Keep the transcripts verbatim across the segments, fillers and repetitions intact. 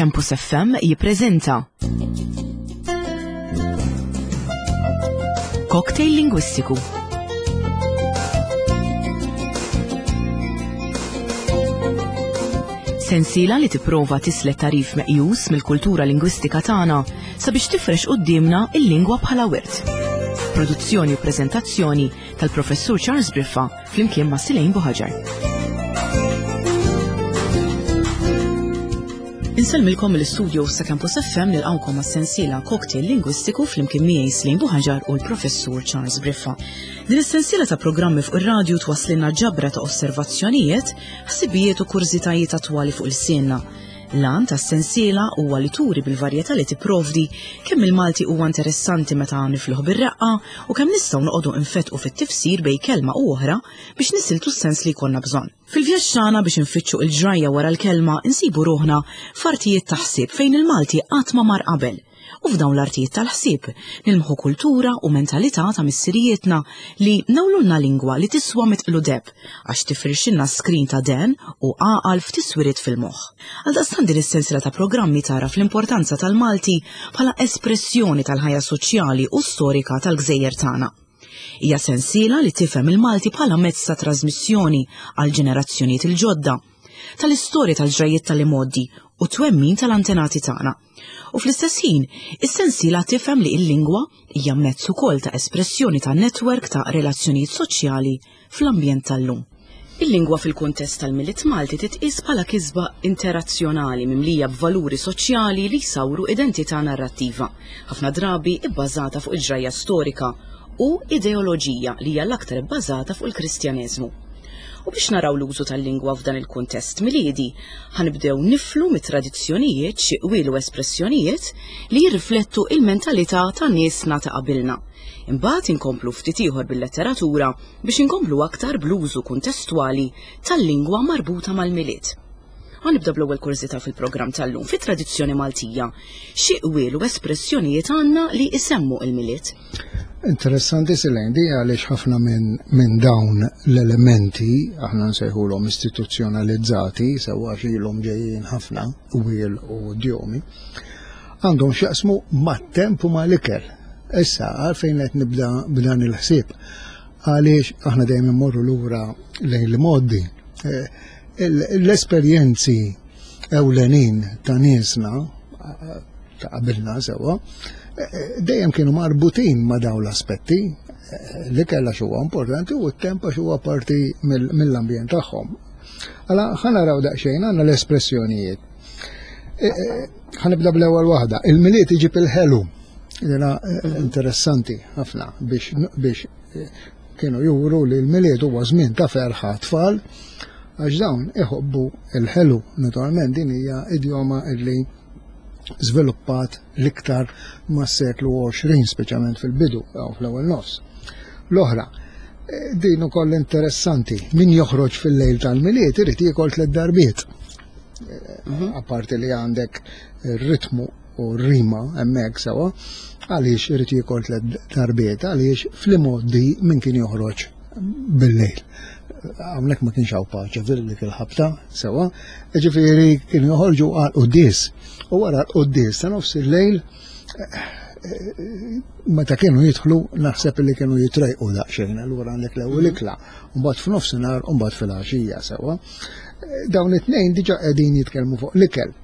Campus F M jippreżenta Cocktail Lingwistiku. Sensiela li tipprova tislet tarif meqjus mill-kultura lingwistika tagħna sabiex tifrex quddiemna il-lingwa bħala wirt. Produzzjoni u preżentazzjoni tal-Professur Charles Briffa flimkien ma' Silejn Buħaġar. Insellmilkom mill-istudio sa' Campus F M nilqgħukom għas-sensiela Cocktail Lingwistiku flimkien miegħi Silejn Buħaġar u l-Professur Charles Briffa. Din is-sensiela ta' programmi fuq ir-radju twasslilna ġabra ta' osservazzjonijiet, ħsibijiet u kurżitajiet attwali fuq il-sienna. L-għan tas-sensiela huwa li turi bil-varjetà li tipprovdi kemm il-Malti huwa interessanti meta nifluh bir-reqqa u kemm nistgħu noqogħdu nfetqu fit-tifsir bejn kelma u oħra biex nisiltu s-sens li jkollna bżonn. Fil-vjaġġ tagħna biex infittxu l-ġrajja wara l-kelma insibu ruħna f'artijiet ta' ħsieb fejn il-Malti qatt ma mar qabel. U f'dawn l-artijiet tal-ħsieb nilmħu kultura u mentalità ta' missirijietna li nawlulna lingwa li tiswa mitqlu deb għax tifrixilna skrin ta' den u għaqal f'tiswiriet fil-moħħ. Għaldaqstant din is-sensiela ta' programmi tara fl-importanza tal-Malti bħala espressjoni tal-ħajja soċjali u storika tal-gżejjer tagħna. Hija sensiela li tifhem il-Malti bħala mezz ta' trasmissjoni għal ġenerazzjonijiet il-ġodda, tal-istorja tal-ġrajiet tal-imgħoddi u twemmin tal-antenati tagħna. U fl-istess ħin, is-sensiela tifhem li l-lingwa hija mezz ukoll ta' espressjoni ta' netwerk ta' relazzjonijiet soċjali fl-ambjent tal-lum. Il-lingwa fil-kuntest tal-Milied Malti titqies bħala kisba interazzjonali mimlija b'valuri soċjali li jsawru identità narrattiva, ħafna drabi bbażata fuq il-ġrajja storika u ideoloġija li hija l-aktar bbażata fuq il-Kristjaneżmu. U biex naraw l-użu tal-lingwa f'dan il-kuntest miliedi, ħanibdew niflu mit-tradizzjonijiet xi qwiel u espressjonijiet li jirriflettu il-mentalità ta' niesna ta' qabilna. Imbagħad inkomplu ftit ieħor bil-letteratura biex inkomplu aktar bl-użu kuntestwali tal-lingwa marbuta mal-Milied. Ħanibda bl-ewwel kurżità fil-programm tal-lum. Fit-tradizzjoni Maltija, xi qwiel u espressjonijiet għandna li isemmu il-Milied? Interessanti Silejn, di għaliex ħafna minn, minn dawn l-elementi aħna nsejħulhom istituzzjonalizzati, sewwa xilhom ġejjin ħafna qwiel u idjomi, għandhom x'jaqsmu mat-temp u mal-ikel. Issa għalfejn qed nibda b'dan il-ħsieb? Għaliex aħna dejjem immorru lura lejn l-modi. Eh, l-esperjenzi ewlenin ta' niesna ta' qabilna sewwa, dejjem kienu marbutin ma' dawn l-aspetti, li kellha xi huwa importanti u t-temp għax huwa parti mill-ambjent tagħhom. Għala ħa naraw daqsxejn għandna l-espressjonijiet. Ħanibda bl-ewwel waħda, il-Milied iġib il-ħelu. Dina interessanti ħafna biex, biex kienu juru li l-Milied huwa żmien ta' ferħa tfal, għax dawn iħobbu il-ħelu. Naturalment din hija idjoma illi żviluppat l-iktar mas-seklu għoxrin, speċjalment fil-bidu jew fl-ewwel nofs. L-oħra, din ukoll interessanti, min joħroġ fil-lejl tal-Milied irid jiekol tliet darbiet. Mhm. Apparti li għandek ir-ritmu u r-rima hemmhekk sewwa, għaliex irid jiekol tliet darbiet, għaliex fl-imgħoddi min kien joħroġ bil-lejl. Hawnhekk ma kienx hawn paċe fil-dik il-ħabta sewwa, ġifieri kienu joħorġu għal quddies. U wara l-quddies ta' nofs il-lejl, meta kienu jidħlu naħseb li kienu jitrejqu daqsxejn, allura għandek l-ewwel ikla, mbagħad f'nofsinhar u mbagħad fil-għaxija sewwa. Dawn it-tnejn diġà qegħdin jitkellmu fuq l-ikel.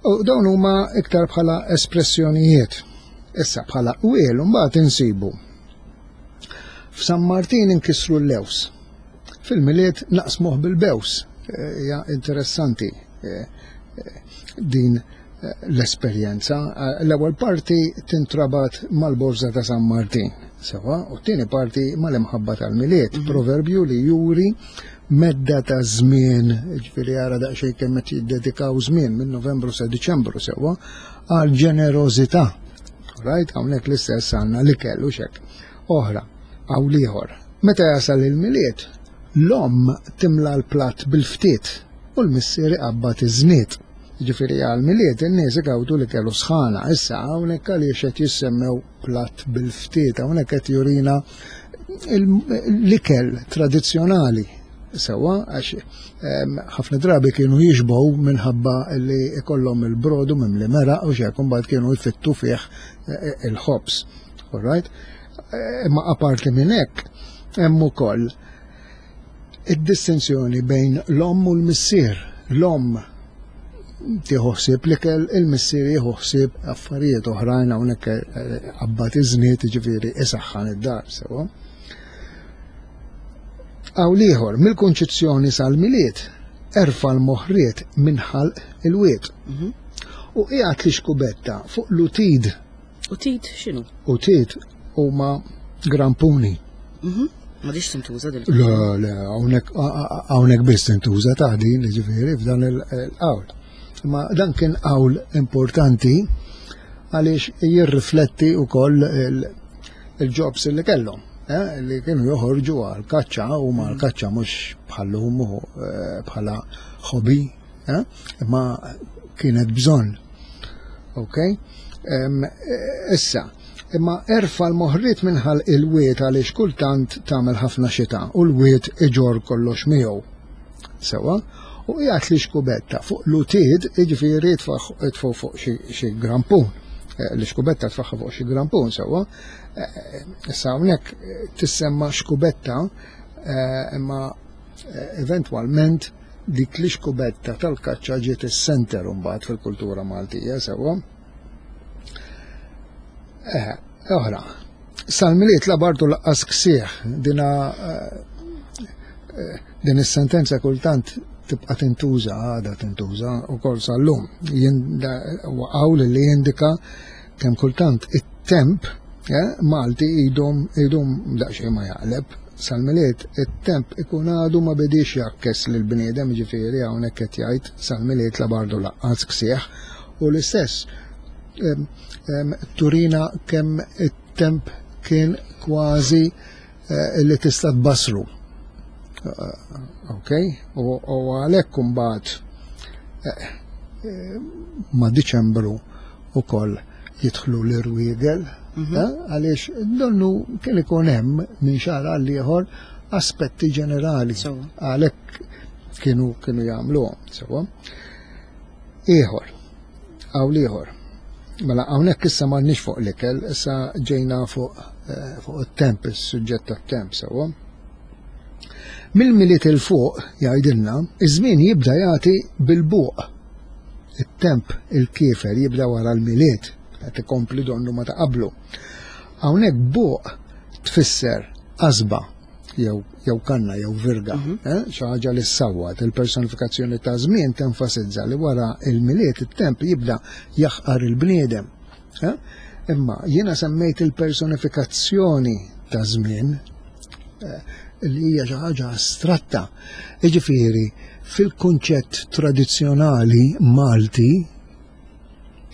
U dawn huma iktar bħala espressjonijiet. Issa bħala qwiel mbagħad insibu. F'San Martin inkissru l-lews. Fil-Milied naqsmuh bil-bews. Hija interessanti, eh, eh, din, eh, l-esperjenza. L-ewwel parti tintrabat mal-borża ta' San Martin, sewa, u t-tieni parti mal-imħabba tal-Milied, Mhm. proverbju li juri medda ta' żmien, ġifieri ara daqsxejn kemm qed jiddedikaw żmien minn Novembru sa Diċembru sewwa għal ġenerożità. Right, hawnhekk l-istess għandna l-ikel u xek. Oħra, hawn ieħor. Meta jasal il-Milied, l-omm timla l-platt bil-ftiet u l-missier iqabbad iż-żniet. Ġifieri għall-Milied in-nies igawdu li kellu sħana. Issa hawnhekk għaliex qed jissemmew platt bil-ftiet, hawnhekk qed jurina l-ikel tradizzjonali. Sewwa, għax ħafna drabi kienu jixbgħu minħabba li ikollhom il-brodu mimli meraq u xek, mbagħad kienu jfittu fih il-ħobż. All right? Imma aparti minn hekk hemm ukoll id-distinzjoni bejn l-omm u l-missier. L-omm tieħu ħsieb l-ikel, il-missier jieħu ħsieb affarijiet oħrajn, hawnhekk qabbat iż-żniet, jiġifieri isaħħan id-dar, sewwa. Qawl ieħor, mill-Kunċizzjoni sal-Milied, erfa' l-moħriet minn ħalq il-wied. U qiegħed l-ixkubetta fuq l-utid. Utid x'inhu? Utid huma grampuni. M'għadhiex tintuża dil. Le, le, hawnhekk hawnhekk biss tintuża ta' din, ġifieri f'dan il-qawl. Ma dan kien qawl importanti għaliex jirrifletti wkoll il-jobs li kellhom, eh, li kienu joħorġu għal kaċċa u ma l-kaċċa mhux bħallum bħala hobby, eh, imma kienet bżonn. Ok? Issa, imma erfa l-moħriet minħal il-wiet għaliex kultant tagħmel ħafna xita u l-wiet iġor kollox miegħu. Sewwa? U qiegħed l-ixkubetta fuq l-utid, jiġifieri itfgħu fuq xi grampun. L-ixkubetta tfaħħa fuq xi grampun, sewwa. Issa hawnhekk tissemma xkubetta, imma eventwalment dik l-ixkubetta tal-kaċċa ġiet is-senter mbagħad fil-kultura Maltija, sewwa. Eh, oħra. Sal-Milied la bartu laqqas ksieħ, dina din is-sentenza kultant tibqa' tintuża, għadha tintuża wkoll sal-lum. Qawl li jindika kemm kultant it-temp Malti idum idum daqsxejn ma jaqleb. Sal-Milied it-temp ikun għadu ma bedix jakkes lil bniedem, ġifieri hawnhekk qed jgħid sal-Milied la bardu laqqas ksieħ, u l-istess turina kemm it-temp kien kważi li tista' tbassru. Ok, u għalhekk imbagħad ma' Diċembru ukoll jidħlu l-irwiegel, għaliex donnu kien ikun hemm minn xahar għal ieħor aspetti ġenerali. Għalhekk kienu kienu jagħmluhom, sewwa. Ieħor, qawl ieħor. Mela hawnhekk issa m'għandniex fuq l-ikel, issa ġejna fuq fuq it-temp, is-suġġett tat-temp, sewwa. Mill-Milied il fuq jgħidilna, iż-żmien jibda jagħti bil-buq. It-temp il-kiefer jibda wara l-Milied, qed ikompli donnu ma ta' qablu. Hawnhekk buq tfisser qasba jew jew kanna jew virga, xi ħaġa li ssawwat. Il-personifikazzjoni ta' żmien tenfasizza li wara il-Milied it-temp jibda jaħqar il-bniedem. Imma jiena semmejt il-personifikazzjoni ta' żmien li hija xi ħaġa astratta. Jiġifieri fil-kunċett tradizzjonali Malti,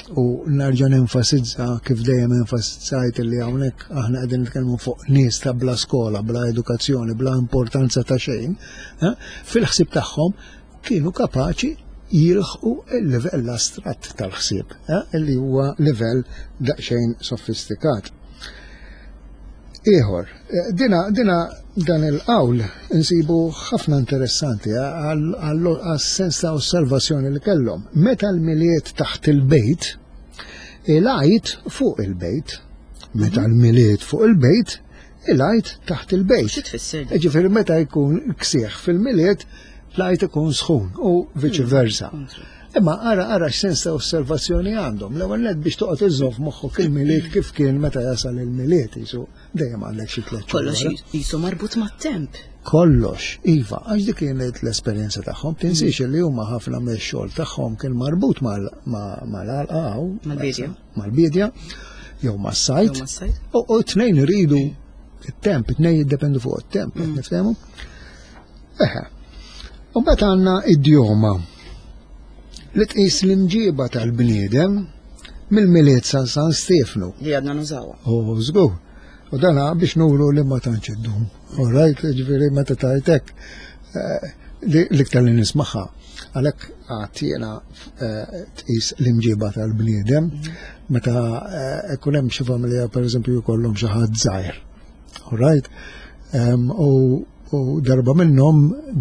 u nerġa' nenfasizza kif dejjem enfasizzajt li hawnhekk aħna qegħdin nitkellmu fuq nies ta' bla skola, bla edukazzjoni, bla importanza ta' xejn, fil-ħsieb tagħhom kienu kapaċi jilħqu il-livell astratt tal-ħsieb, li huwa livell daqsxejn sofistikat. Ieħor, dina, dina dan il-qawl insibu ħafna interessanti għal-sens ta' osservazzjoni li kellhom. Meta l-Milied taħt il-bejt, il-Għid fuq il-bejt. Meta l-Milied fuq il-bejt, il-Għid taħt il-bejt. Xi tfisser? Ġifieri meta jkun ksieħ fil-Milied, l-Għid ikun sħun u viċi versa. Imma ara ara x'sens ta' osservazzjoni għandhom. L-ewwel nett biex toqgħod iżżomm f'moħħok il-Milied kif kien meta jasal il-Milied, jisu dejjem għandek xi tliet xhur. Kollox jisu marbut mat-temp. Kollox, iva, għax dik kienet l-esperjenza tagħhom. Tinsiex li huma ħafna mix-xogħol tagħhom kien marbut mal-għalqa mal-bidja. Mal-bidja jew mas-sajt. U t-tnejn iridu it-temp, it-tnejn jiddependu fuq it-temp, niftehmu? Eħe. U mbagħad għandna idjoma li tqis l-imġiba tal-bniedem mill-Milied sa San Stefnu. Li għadna nużawha. U żgur. U dana biex nuru li ma tantx iddum. All right, ġifieri meta tajtek l-iktar li nismaħħa. Għalhekk għad jiena tqis l-imġiba tal-bniedem meta ikun hemm xi familja pereżempju jkollhom xi ħadd żgħir. All right? U U darba minnhom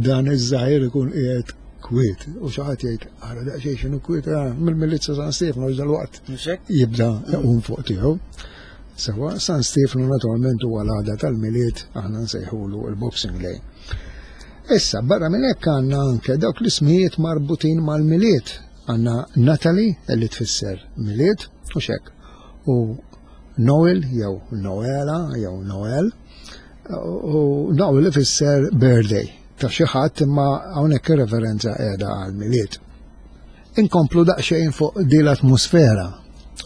dan iż-żgħir ikun qiegħed kwiet u xi ħadd jgħid ara daqsxejn x'inhu kwiet mill-Milied sa San Stefano dal-waqt jibda jqum fuq tiegħu. Sewa San Stefano naturalment huwa l-għada tal-Milied aħna nsejħulu l-Boxing Day. Issa barra minn hekk għandna anke dawk l-ismijiet marbutin mal-Milied. Għandna Natalie li tfisser Milied u xek. U Noel jew Noela jew Noel u Noel ifisser birthday ta' xi ħadd imma hawnhekk ir-referenza qiegħda għall-Milied. Inkomplu daqsxejn fuq din l-atmosfera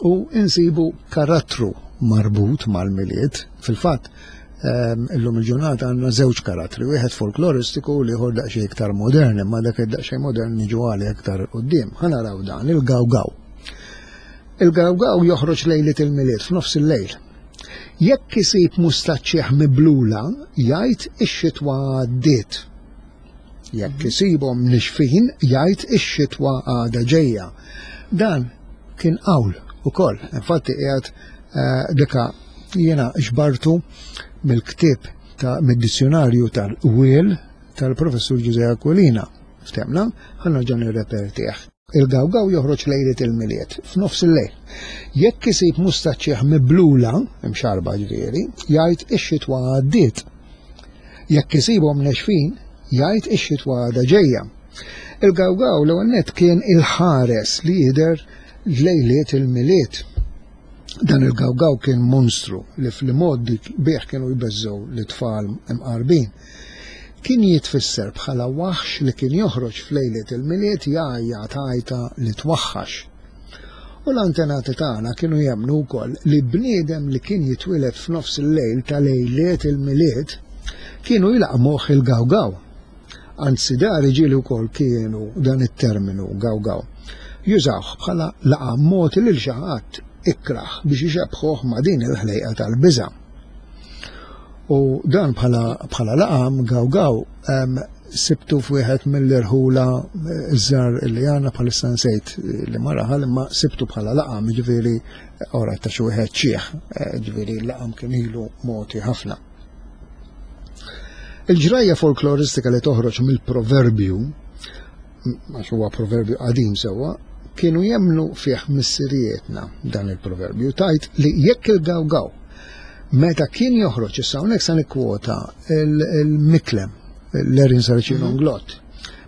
u insibu karattru marbut mal-Milied. Fil-fatt, illum il-ġurnata għandna żewġ karattri, wieħed folkloristiku u l-ieħor daqsxejn iktar modern, imma dak id-daqsxejn modern niġu għalih aktar quddiem. Ħa naraw dan, il-Gawgaw. Il-Gawgaw joħroġ lejliet il-Milied f'nofs il-lejl. Jekk isib mustaċċieħ miblula, jgħid ix-xitwa għaddiet. Jekk isibhom nixfin, jgħid ix-xitwa għadha ġejja. Dan kien qawl ukoll. Infatti qiegħed dika jiena xbartu mill-ktieb ta' mid-dizzjonarju tal-Wiel tal-professur Ġużè Aquilina. Ftemna, ħa nerġa' nirrepertih. Il-Gawgaw joħroġ lejliet il-Milied f'nofs il-lejl. Jekk isib mustaċċieħ miblula, imxarba ġifieri, jgħid ix-xitwa għaddiet. Jekk isibhom nexfin, jgħid ix-xitwa għadha ġejja. Il-Gawgaw l-ewwel nett kien il-ħares li jidher lejliet il-Milied. Dan il-Gawgaw kien monstru li fl-modi bih kienu jbeżżgħu l-tfal imqarbin. Kien jitfisser bħala waħx li kien joħroġ f'lejliet il-Milied jgħajjat għajta li twaħħax. U l-antenati tagħna kienu jemmnu wkoll li bniedem li kien jitwieled f'nofs il-lejl ta' lejliet il-Milied kienu jlaqmuh il-Gawgaw. Anzi dari ġieli wkoll kienu dan it-terminu Gawgaw. Jużawh bħala laqam mogħti lil xi ħadd ikraħ biex ixebħuh ma' din il-ħlejqa tal-biża'. U dan bħala bħala laqam Gawgaw sibtu f'wieħed mill-irħula iż-żar li għandna bħalissa nsejt li ma raħal imma sibtu bħala laqam ġifieri ora ta' xi wieħed xiħ, ġifieri l-laqam kien ilu mogħti ħafna. Il-ġrajja folkloristika li toħroġ mill-proverbju, għax huwa proverbju qadim sewwa, kienu jemmnu fih missirietna dan il-proverbju, tajt li jekk il-Gawgaw meta kien joħroġ, issa hawnhekk sa nikkwota il-Miklem, l-Erin Saracino Nglott,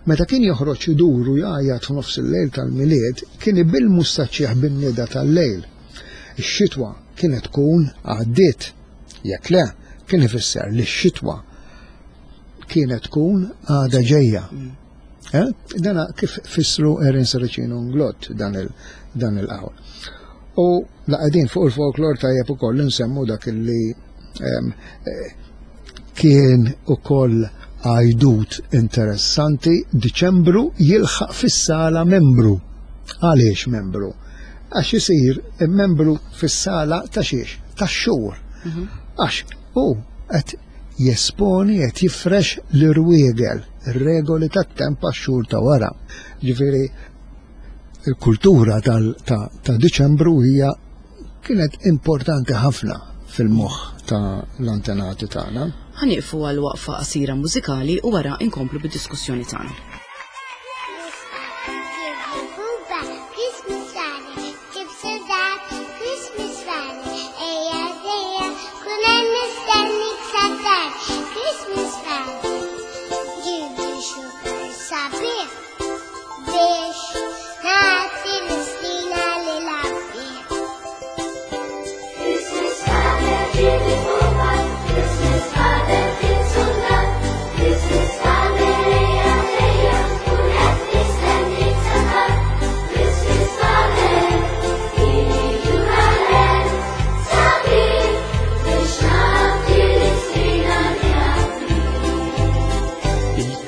meta kien joħroġ idur u jgħajjat f'nofs il-lejl tal-Milied, kien ibil mustaċċieħ bin-nida tal-lejl. Ix-xitwa kienet tkun għaddiet, jekk le, kien ifisser li x-xitwa kienet tkun għadha ġejja. Dana kif fissru Erin Saracino Nglott dan il-qawl. U laqgħedin fuq il-folklor tajjeb ukoll nsemmu dak li kien ukoll għajdut interessanti, Diċembru jilħaq fis-sala membru. Għaliex membru? Għax isir membru fis-sala ta' xiex? Tax-xhur. Għax hu qed jesponi qed jifrex l-irwiegel, ir-regoli tat-temp għax-xhur ta' wara. Ġifieri il-kultura ta' Diċembru hija kienet importanti ħafna fil-moħħ ta' l-antenati tagħna. Ħa nieqfu għal waqfa qasira mużikali u wara inkomplu bid-diskussjoni tagħna.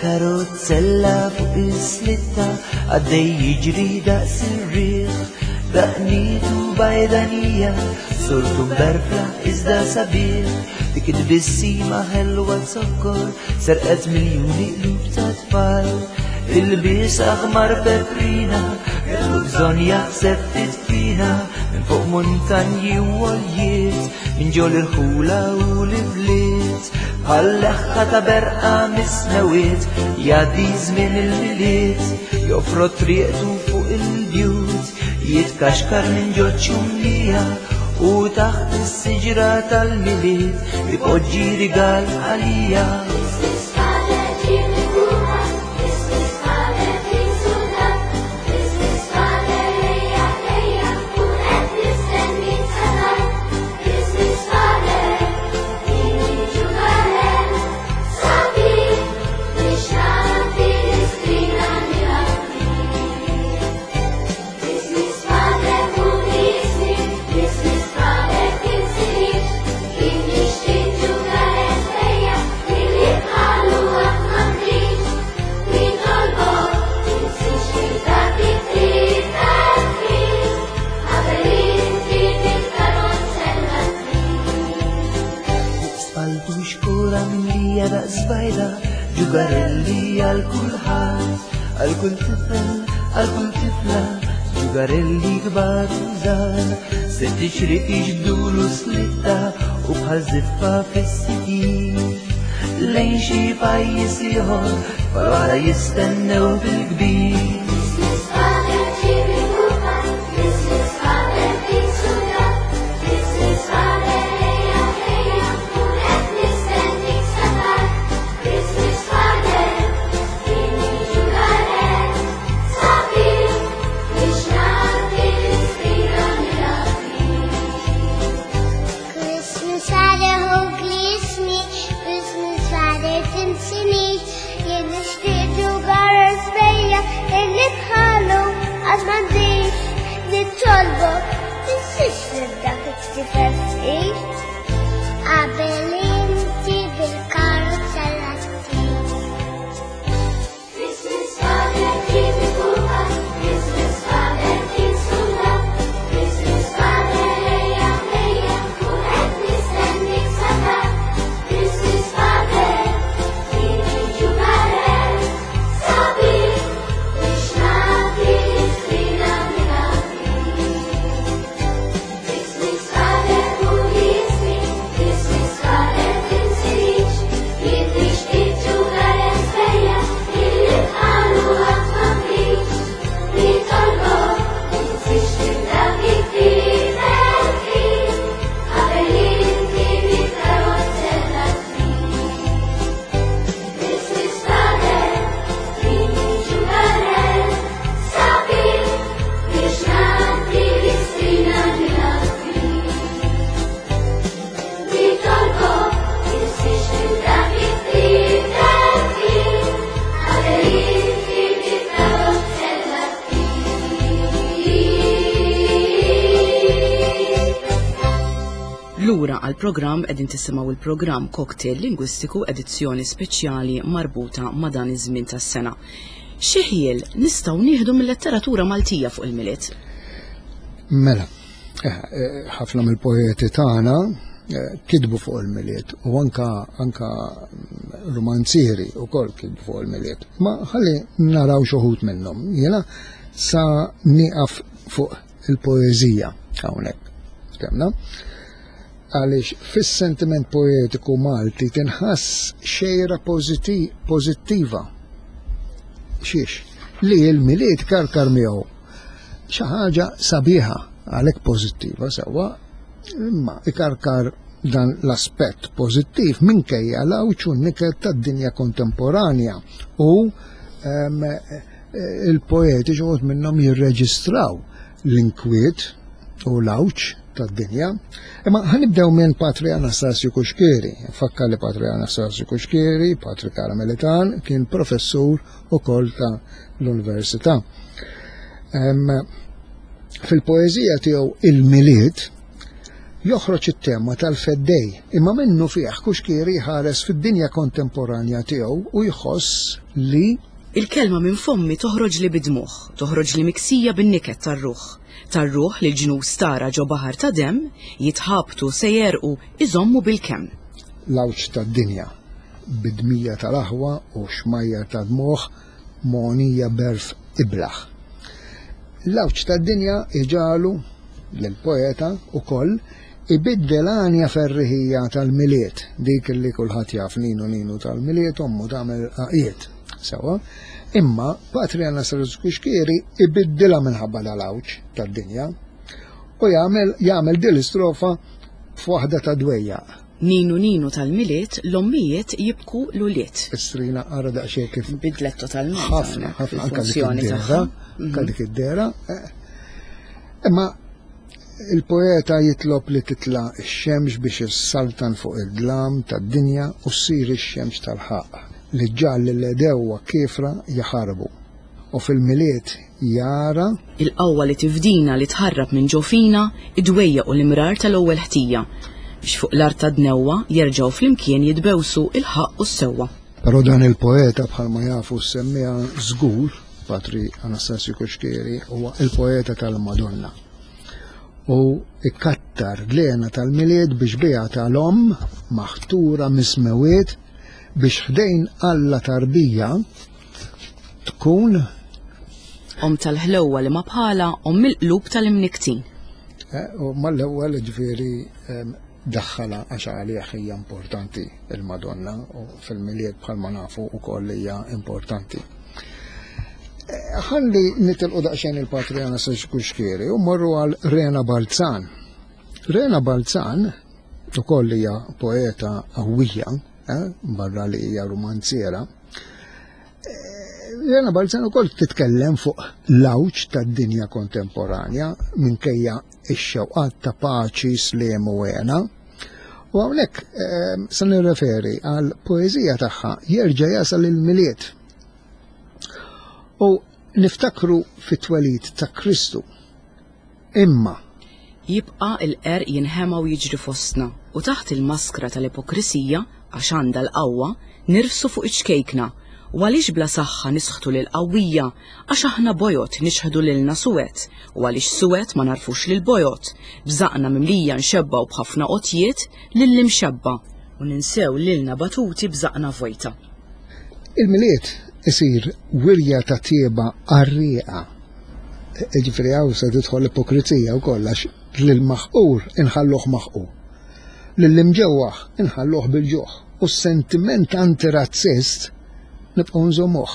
Karozzella fuq is-slitta għaddej jiġri daqs ir-riħ, daqnitu bajdanija, surtu mberfla iżda sabiħ, dik it-tbissima ħelwa zokkor, serqet miljuni qlub ta' tfal. Il-bies aħmar peprina, kellu bżonn jaħseb ftit fina, minn fuq muntanji u għoljiet, minn ġol irħula u l-ibliet. Bħal-leħħa ta' berqa mis-smewiet, jgħaddi żmien il-Milied, jofrod triqtu fuq il-bjut, jitkaxkar minn ġo ċumnija, u taħt is-siġra tal-Milied ipoġġi rigal għalija. Christmas Father, ġib il-kuka, Christmas Father, trid suldat, Christmas Father, ejja, ejja, u qed nistennik sa tard. Christmas Father, tini ġugarell, sabiħ biex nagħti l-istrina nilgħab bih. Christmas Father, ħu Christmas Father, tinsinix, jien nixtieq ġugarell ejja, illi bħalu qatt m'għandix. Nitolbok, tinsiex li tagħti tifel fis, qabel inti bil-karozzella ttir. Fuq spalltu xkora mimlija daqs bajda, ġugarelli għal kulħadd, għal kull tifel, għal kull tifla, ġugarelli kbar u żgħar, sitt ixriq jiġbdulu slitta u bħal żiffa fis-sidir. Lejn xi pajjiż ieħor, tfal oħra jistennew bil-kbir. Christmas Father, ġib il-kuka, Christmas Father, trid suldat, Christmas Father, ejja, ejja, u qed nistennik sa tard. Christmas Father, tini ġugarell, sabiħ biex nagħti l-istrina nilgħab bih. Christmas Father, ħu ismi, Christmas Father, tinsinix, jien nixtieq ġugarell sbejjaħ, illi bħalu għad m'għandix. Nitolbok, tinsiex lil dak it-tifel fqir, qabel inti bil-karozzella ttir. Christmas Father, ġib il-kuka, Christmas Father, trid suldat, Christmas Father, ejja, ejja, u qed nistennik sa tard. Christmas Father, tini ġugarell, sabiħ biex nagħti l-istrina nilgħab bih. Christmas Father, ħu ismi, Christmas Father, tinsinix, jien nixtieq ġugarell sbejjaħ, illi bħalu qatt m'għandix. Nitolbok, tinsiex lil dak it-tifel fqir, qabel inti bil-karozzella ttir. Christmas Father, tini ġugarell, sabiħ biex nagħti l-istrina nilgħab bih. Nitolbok, tinsiex lil dak it-tifel fqir, qabel inti bil-karozzella ttir. Lura għal-programm qegħdin tisimgħu il-programm Cocktail Lingwistiku, edizzjoni speċjali marbuta ma' dan iż-żmien tas-sena. Xi ħjiel nistgħu nieħdu mill-letteratura Maltija fuq il-Milied? Mela, eh, eh, ħafna mill-poeti tagħna eh, kitbu fuq il-Milied u anka anka romanzieri ukoll kitbu fuq il-Milied. Ma ħalli naraw xi wħud minnhom. Jiena sa nieqaf fuq il-poeżija hawnhekk. Kemna? Għaliex fis-sentiment poetiku Malti tinħass xejra poziti- pożittiva. Xiex? Li l-Milied karkar miegħu xi ħaġa sabiħa, għalhekk pożittiva sewwa, imma ikarkar dan l-aspett pożittiv minkejja l-għawġ u n-niket tad-dinja kontemporanja u em, il-poeti xi wħud minnhom jirreġistraw l-inkwiet u l-għawġ tad-dinja. Imma ħa nibdew minn Patri Anastasju Cuschieri. Fakkar li Patri Anastasju Cuschieri, Patri Karmelitan, kien professur ukoll ta' l-Università. Em, Fil-poeżija tiegħu Il-Milied joħroġ it-tema tal-feddej, imma minnu fih Cuschieri ħares fid-dinja kontemporanja tiegħu u jħoss li Il-kelma minn fommi toħroġ li bid-dmugħ, toħroġ li miksija bin-niket tar-ruħ. Tar-ruħ li l-ġnus tara ġo baħar ta' dem, jitħabtu se jerqu iżommu bil-kemm. L-għawġ tad-dinja bid-dmija tal-aħwa u xmajjar ta' dmugħ mogħnija b'għerf iblah. L-għawġ tad-dinja iġagħlu l-poeta ukoll Ibiddel għanja ferriħija tal-Milied, dik li kulħadd jaf, ninu ninu tal-Milied, ommu tagħmel għaqiet. Sewa, imma Patri Anastasju Cuschieri ibiddilha minħabba dal-għawġ tad-dinja u jagħmel jagħmel din l-istrofa f'waħda ta' dwejjaq. Ninu ninu tal-Milied, l-ommijiet jibku l-ulied. Istrina ara daqsxejn kif Bidlet totalment. Ħafna, ħafna, anka dik id-dehra, anka dik id-dehra. Imma il-poeta jitlob li titla' x-xemx biex issaltan fuq id-dlam tad-dinja u ssir ix-xemx tal-ħaqq li ġġagħal lill-għedewwa kiefra jaħarbu. U fil-Milied jara il-qawwa li tifdina, li tħarrab minn ġo fina id-dwejjaq u l-imrar tal-ewwel ħtija, biex fuq l-art ta' dnewwa jerġgħu flimkien jitbewsu il-ħaqq u s-sewwa. Però dan il-poeta, bħalma jafu semmija żgur, Patri Anastasju Cuschieri, huwa il-poeta tal-Madonna. U ikkattar l-hena tal-Milied biex biha tal-omm maħtura mis-smewwiet biex ħdejn Alla tarbija tkun omm tal-ħlewwa li ma bħala, omm il-qlub tal-imniktin. Eh, u mal-ewwel ġifieri daħħala għax għalih hija importanti il-Madonna u fil-Milied bħalma nafu wkoll hija importanti. Eh, ħalli nitilqu daqsxejn il-Patri Anastasju Cuschieri u morru għal Rena Balzan. Rena Balzan ukoll hija poeta qawwija, eh, barra li hija romanziera. Rena Balzan ukoll titkellem fuq l-għawġ tad-dinja kontemporanja minkejja ix-xewqat ta' paċi, sliem u hena. U hawnhekk eh, se nirreferi għal poeżija tagħha Jerġa' jasal il-Milied. U niftakru fit-twelid ta' Kristu. Imma jibqa' il-qerq jinħema u jiġri fostna u taħt il-maskra tal-ipokrisija, għax għandha l-qawwa, nirfsu fuq iċ-ċkejkna. U għaliex bla saħħa nisħtu lil qawwija, għax aħna bojod nixħdu lilna suwed, u għaliex suwed ma narfux lil bojod, bżaqna mimlija nxebbaw b'ħafna qotjiet lill-imxebba u ninsew lilna batuti bżaqna vojta. Il-Milied isir wirja ta' tieba qarrieqa. Ġifieri hawn se tidħol l-ipokrizija wkoll għax lill-maħqur inħalluh maħqur, lill-imġewwaħ inħalluh bil-ġuħ, u s-sentiment antirazzist nibqgħu nżommuh.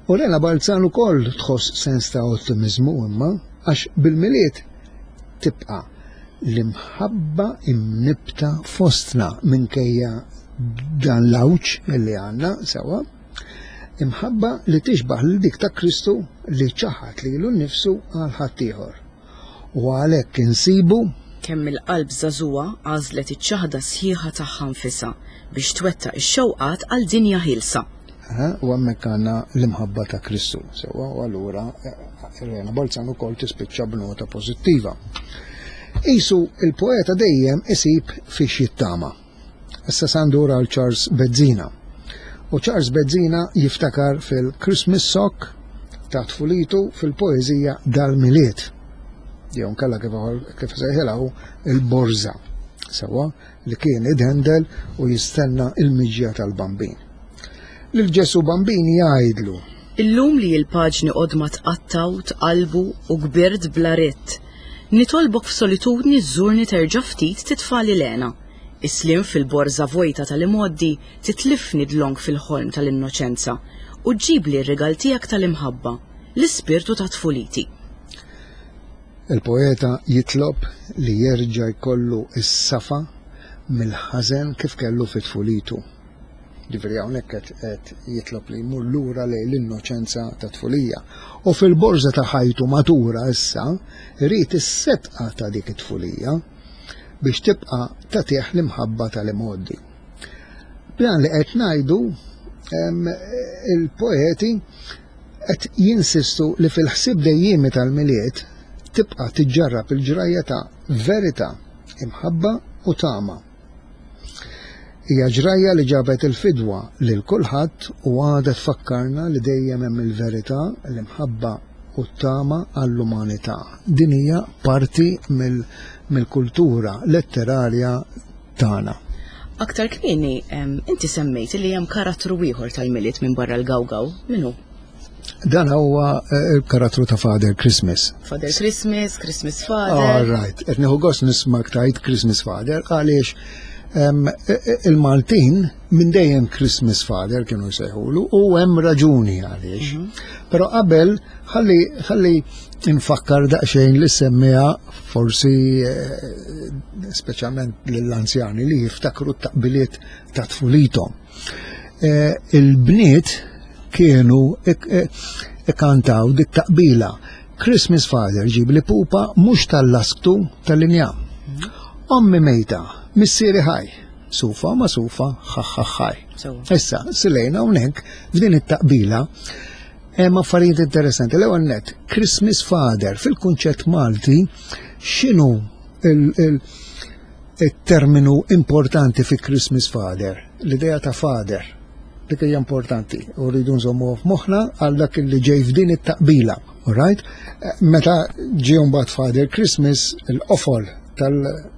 U Rena Balzan ukoll tħoss sens ta' ottimizmu imma għax bil-Milied tibqa' l-imħabba imnibta fostna minkejja dan l-għawġ li għandna sewa. Imħabba li tixbaħ lil dik ta' Kristu li ċaħat lilu nnifsu għal ħaddieħor. U għalhekk insibu kemm il-qalb żagħżugħa għażlet iċ-ċaħda sħiħa tagħha nfisha biex twettaq ix-xewqat għal dinja ħielsa. U hemmhekk għandna l-imħabba ta' Kristu. Sewa, u allura Rena Balzan ukoll tispiċċa b'nota pożittiva. Isu il-poeta dejjem isib fiex jittama. Issa sandur għal Charles Bezzina. U Charles Bezzina jiftakar fil-Christmas Sock ta' tfulitu fil-poeżija Dal-Milied. Jew nkella kif kif sejħilha il-borża. Sewa li kien idhendel u jistenna il-miġja tal-Bambin. Lil Ġesu Bambin jgħidlu: Illum li l-paġni qodma tqattaw, tqalbu u kbirt bla ritt. Nitolbok f'solitudni żżurni terġa' ftit titfali lena. Islim fil-borża vojta tal-imoddi titlifni dlonk fil-ħolm tal-innoċenza u ġġibli r-rigal tiegħek tal-imħabba, l-ispirtu ta' tfuliti. Il-poeta jitlob li jerġa' jkollu s-safa mill-ħażen kif kellu fit-tfulitu. Ġifieri hawnhekk qed jitlob li jmur lura lejn l-innoċenza ta' tfulija. U fil-borża ta' ħajtu matura issa irid is-setqa ta' dik it-tfulija biex tibqa' tagħtih l-imħabba tal-imgħoddi. B'dan li qed ngħidu il-poeti qed jinsistu li fil-ħsieb dejjiemi tal-Milied tibqa' tiġġarrab il-ġrajja ta' verità, imħabba u tama. Hija ġrajja li ġabet il-fidwa lil kulħadd u għadha tfakkarna li dejjem hemm il-verità, l-imħabba u t-tama għall-umanità. Din hija parti mill-kultura letterarja tagħna. Aktar kmieni, inti semmejt li hemm karattru ieħor tal-Milied minn barra l-Gawgaw. Min hu? Dan huwa eh, il-karattru ta' Father Christmas. Father Christmas, Christmas All Father. Right, qed nieħu gost nismak tajt Christmas Father għaliex em, e- e- il-Maltin minn dejjem Christmas Father kienu jsejħulu u hemm raġuni għaliex. Però qabel ħalli ħalli nfakkar daqsxejn li semmiha forsi eh, speċjalment lill-anzjani li jiftakru t-taqbiliet ta' tfulithom. Eh, Il-bniet kienu ik- eh, ikkantaw dik taqbila. Christmas Father ġib li pupa mhux tal-lasktu tal-injam. Ommi mejta, missieri ħaj, sufa ma sufa, ħaħħaħħaj. Sewwa. Issa, silejna hawnhekk f'din it-taqbila hemm affarijiet interessanti. L-ewwel net, Christmas Father fil-kunċett Malti x'inhu il- il- il-terminu importanti fi Christmas Father? L-idea ta' father. Dik hija importanti u rridu nżommu f'moħħna għal dak li ġej f'din it-taqbila. All right? Eh, Meta ġie mbagħad Father Christmas, il-qofol tal-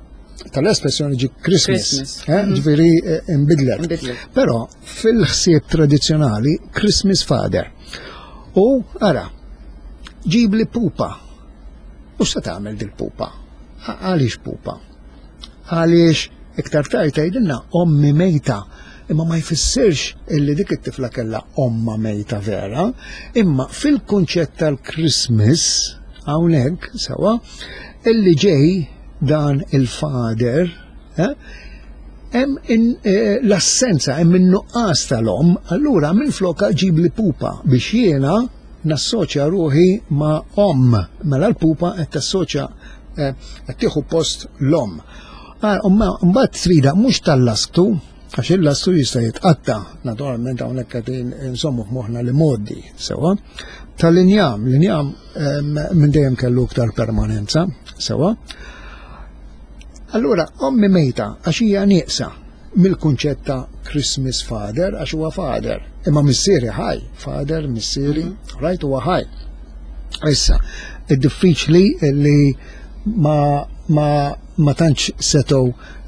tal-espressjoni ġi Christmas. Christmas. Eh, Ġifieri eh, imbidlet. Imbidlet. Però fil-ħsieb tradizzjonali Christmas Father. U ara, ġib li pupa. U se tagħmel dil-pupa? A- Għaliex pupa? Għaliex iktar tard tgħidilna ommi mejta. Imma ma jfissirx illi dik it-tifla kellha omma mejta vera, imma fil-kunċett tal-Christmas hawnhekk sewa illi ġej dan il-father, eh, hemm in- eh, l-assenza, hemm in-nuqqas tal-om, allura minn floka ġib li pupa biex jiena nassoċja ruħi ma' om. Mela l-pupa qed tassoċja eh, qed tieħu post l-om. Ah, umma- Mbagħad trida mhux tal-lasktu, għax il-lasktu jista' jitqatta, naturalment hawnhekk qed insommu f'moħħna li modi, sewa. Tal-injam, l-injam em, minn dejjem kellu iktar permanenza, sewa. Allura, ommi mejta, għax hija nieqsa mill-kunċett ta' Christmas Father, għax huwa father. Imma missieri ħaj, father, missieri, right, huwa ħaj. Issa, id-diffiċli li ma, ma, ma tantx setgħu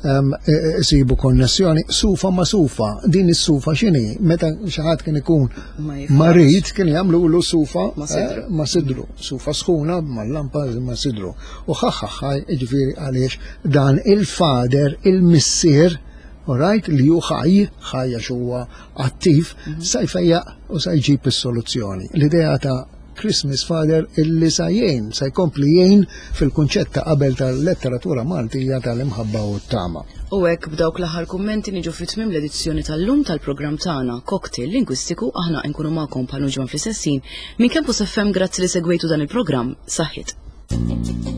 um, isibu konnessjoni, sufa ma sufa, din is-sufa x'inhi? Meta xi ħadd kien ikun Ma jiflaħx. marid kien jagħmlu sufa Ma sidru. eh, ma sidru, sufa sħuna mal-lampa ma sidru. U ħaħħaħħaj, ġifieri għaliex dan il-father, il-missier, alright, li hu ħaj, ħaj għax huwa attiv, sa jfejjaq u sa jġib is-soluzzjoni. L-idea ta' Christmas Father illi sa jgħin, sa jkompli jgħin fil-kunċett ta' qabel tal-letteratura Maltija tal-imħabba u t-tama. U hekk b'dawk l-aħħar kummenti niġu fi tmiem l-edizzjoni tal-lum tal-programm tagħna Cocktail Lingwistiku. Aħna nkunu magħkom bħal ġwan fl-istessin minn Campus F M. Grazzi li segwejtu dan il-programm. Saħħit.